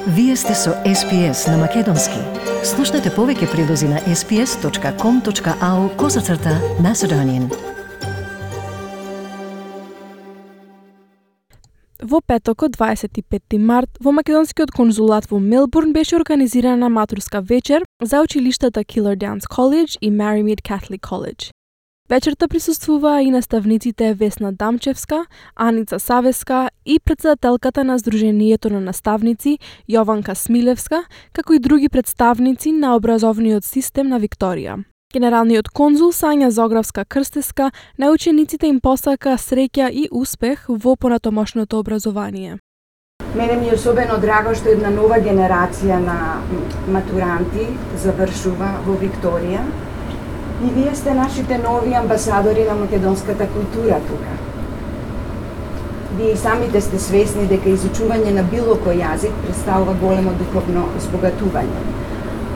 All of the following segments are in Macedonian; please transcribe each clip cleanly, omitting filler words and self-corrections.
Вие сте со SPS на Македонски. Слушнете повеќе прилози на sps.com.au/Macedonian. Во петокот, 25 март, во македонскиот конзулат во Мелбурн беше организирана матурска вечер за училиштата Killerdowns College и Marymead Catholic College. Вечерта присуствуваа и наставниците Весна Дамчевска, Аница Савеска и председателката на Сдруженијето на наставници Јованка Смилевска, како и други представници на образовниот систем на Викторија. Генералниот конзул Сања Зогравска Крстеска на учениците им посака среќа и успех во понатомошното образование. Мене ми е особено драго што една нова генерација на матуранти завршува во Викторија и вие сте нашите нови амбасадори на македонската култура тука. Вие самите сте свесни дека изучување на било кој јазик представува големо духовно збогатување,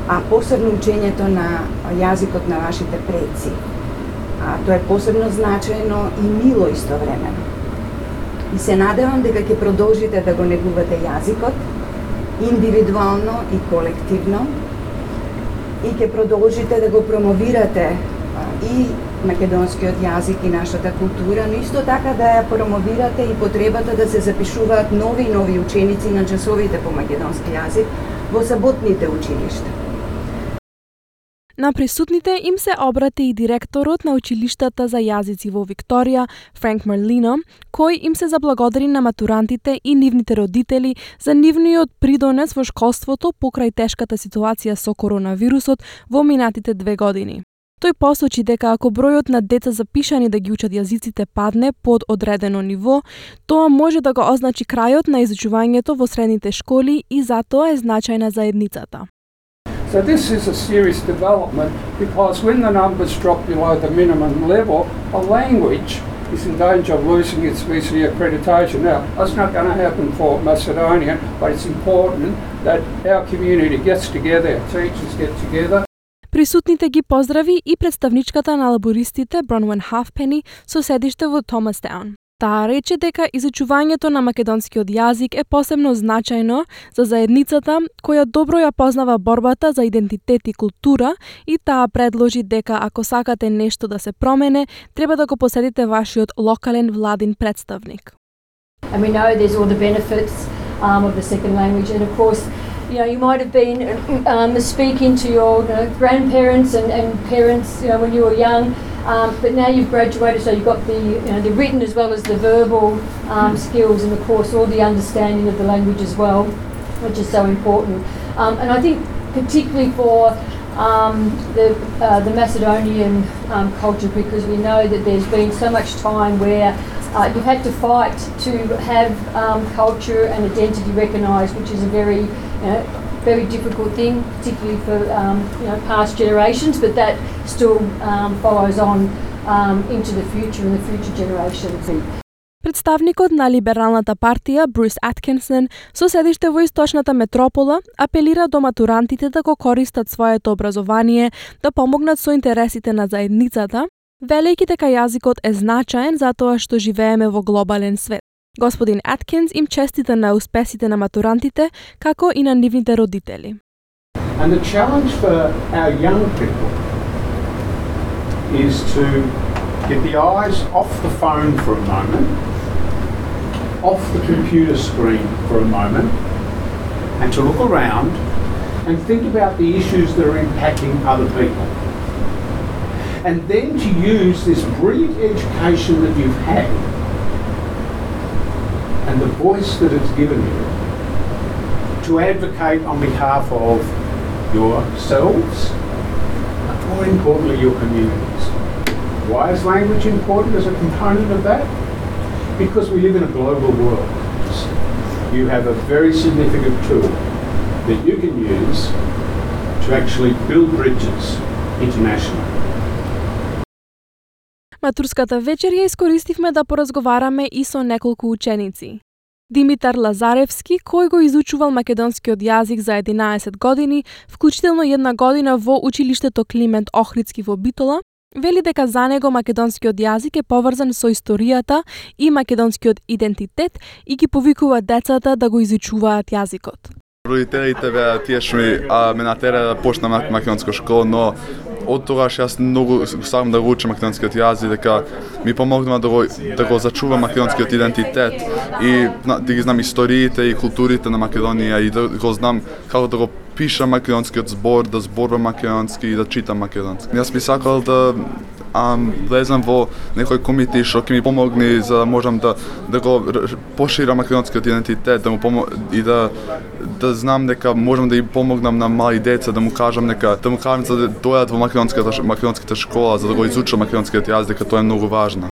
а посебно учењето на јазикот на вашите предци. Тоа е посебно значајно и мило истовремено. И се надевам дека ќе продолжите да го негувате јазикот, индивидуално и колективно, и ќе продолжите да го промовирате и македонскиот јазик и нашата култура, но исто така да ја промовирате и потребата да се запишуваат нови и нови ученици на часовите по македонски јазик во саботните училишта. На присутните им се обрати и директорот на училиштата за јазици во Викторија, Франк Марлино, кој им се заблагодари на матурантите и нивните родители за нивниот придонес во школството покрај тешката ситуација со коронавирусот во минатите 2 години. Тој посочи дека ако бројот на деца запишани да ги учат јазиците падне под одредено ниво, тоа може да го означи крајот на изучувањето во средните школи и затоа е значајна заедницата. So this is a serious development because when the numbers drop below the minimum level, a language is in danger of losing its VC accreditation. Now, that's not going to happen for Macedonian, but it's important that our community gets together, our teachers get together. Присутните ги поздрави и представничката на лабористите Бронвен Хафпени со седиште во Томастаун. Таа рече дека изучувањето на македонскиот јазик е посебно значајно за заедницата која добро ја познава борбата за идентитет и култура и таа предложи дека ако сакате нешто да се промене, треба да го посетите вашиот локален владин представник. And we know there's all the benefits of the second language, and of course, you might have been speaking to your grandparents and parents, when you were young. But now you've graduated, so you've got the written as well as the verbal skills, and of course all the understanding of the language as well, which is so important. And I think particularly for the Macedonian culture, because we know that there's been so much time where you've had to fight to have culture and identity recognised, which is a very difficult thing, particularly for past generations, but that still follows on into the future and the future generations. Представникот на либералната партија Брус Аткинсон со седиште во источната метропола апелира до матурантите да го користат своето образование да помогнат со интересите на заедницата, велејќи дека јазикот е значаен затоа што живееме во глобален свет. Господин Аткинс им честита на успесите на матурантите, како и на нивните родители. And the challenge for our young people is to get the eyes off the phone for a moment, off the computer screen for a moment, and to look around and think about the issues that are impacting other people. And then to use this brilliant education that you've had and the voice that it's given you to advocate on behalf of yourselves, but more importantly your communities. Why is language important as a component of that? Because we live in a global world. You have a very significant tool that you can use to actually build bridges internationally. Матурската вечер ја искористивме да поразговараме и со неколку ученици. Димитар Лазаревски, кој го изучувал македонскиот јазик за 11 години, вклучително 1 година во училиштето Климент Охридски во Битола, вели дека за него македонскиот јазик е поврзан со историјата и македонскиот идентитет и ги повикува децата да го изучуваат јазикот. Родителите беа тие што ме натераа да почнам македонска школа, но од тогаш јас многу сакам да го учам македонскиот јазик, дека ми помогнува да го зачувам македонскиот идентитет и да ги знам историите и културите на Македонија и да го знам како да го пишам македонскиот збор, да зборувам македонски и да читам македонски. Јас би сакал да влезам во некој комити што ќе ми помогне за да можам да го поширам македонскиот идентитет, да му и да знам дека можам да им помогнам на мали деца, да му кажам за да дојдат во македонската школа, за да го изучат македонскиот јазик, дека тоа е многу важно.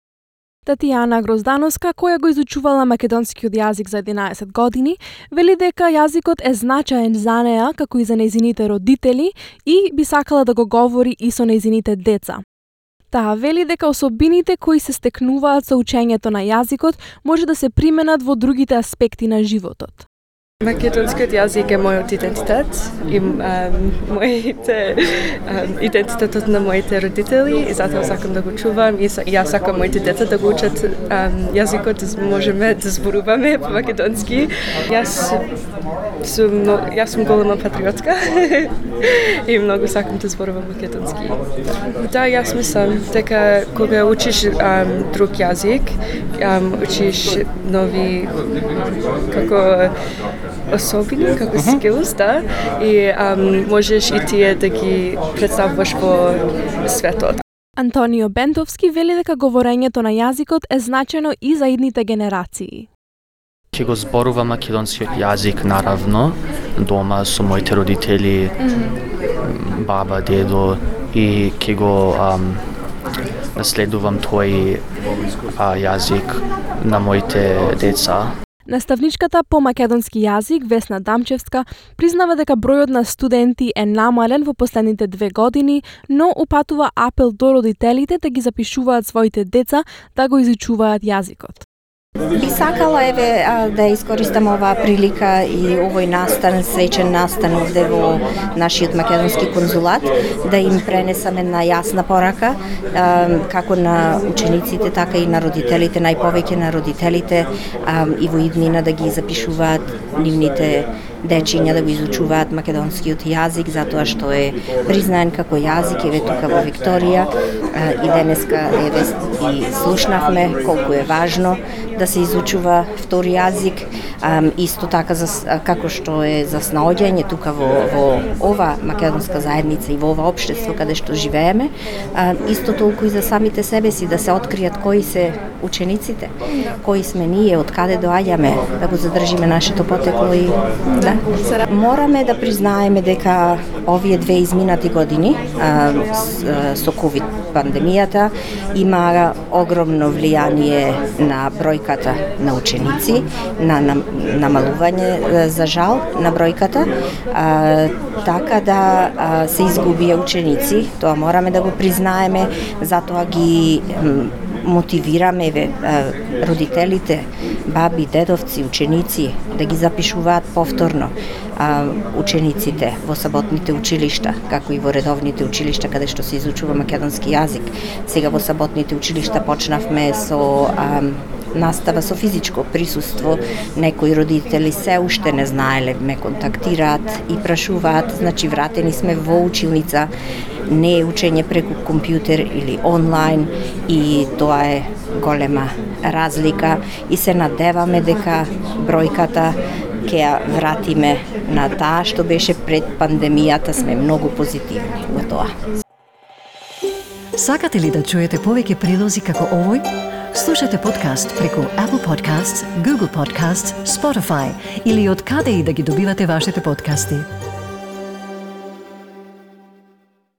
Татјана Гроздановска, која го изучувала македонскиот јазик за 11 години, вели дека јазикот е значаен за неа, како и за нејзините родители, и би сакала да го говори и со нејзините деца. Таа вели дека особините кои се стекнуваат со учењето на јазикот може да се применат во другите аспекти на животот. Македонскиот јазик е мојот идентитет и идентитетот на моите родители и затоа сакам да го чувам и јас сакам моите деца да го учат јазикот, можеме да зборуваме македонски. Јас сум голема патриотка и многу сакам да зборувам македонски. Да, јас мислам дека кога учиш друг јазик, учиш нови особини, како skills, да, и можеш и тие да ги представуваш во светот. Антонио Бентовски вели дека говорењето на јазикот е значајно и за идните генерации. Ќе го зборувам македонскиот јазик наравно дома со моите родители, баба, дедо и ќе го наследувам тој јазик на моите деца. Наставничката по македонски јазик Весна Дамчевска признава дека бројот на студенти е намален во последните 2 години, но упатува апел до родителите да ги запишуваат своите деца да го изучуваат јазикот. Би сакала да искористам оваа прилика и овој среќен настан овде во нашиот македонски конзулат, да им пренесам една јасна порака, како на учениците, така и на родителите, најповеќе на родителите, и во иднина да ги запишуваат нивните дечиња да го изучуваат македонскиот јазик, затоа што е признаен како јазик, еве тука во Викторија, и денеска и слушнавме колку е важно да се изучува втори јазик, исто така како што е за снаоѓање тука во ова македонска заедница и во ова општество каде што живееме, исто толку и за самите себе си да се откријат кои се учениците, кои сме ние, од каде доаѓаме, да го задржиме нашето потекло и да. Мораме да признаеме дека овие 2 изминати години со COVID пандемијата има огромно влијание на бројката на ученици, на намалување за жал на бројката, така да се изгубија ученици, тоа мораме да го признаеме, затоа ги мотивираме родителите, баби, дедовци, ученици да ги запишуваат повторно учениците во саботните училишта, како и во редовните училишта каде што се изучува македонски јазик. Сега во саботните училишта почнавме со настава со физичко присуство. Некои родители се уште не знаеле, ме контактираат и прашуваат, значи вратени сме во училница, не е учење преку компјутер или онлайн, и тоа е голема разлика и се надеваме дека бројката ќе ја вратиме на таа што беше пред пандемијата. Сме многу позитивни во тоа. Сакате ли да чуете повеќе прилози како овој? Слушате подкаст преку Apple Podcasts, Google Podcasts, Spotify или од каде и да ги добивате вашите подкасти.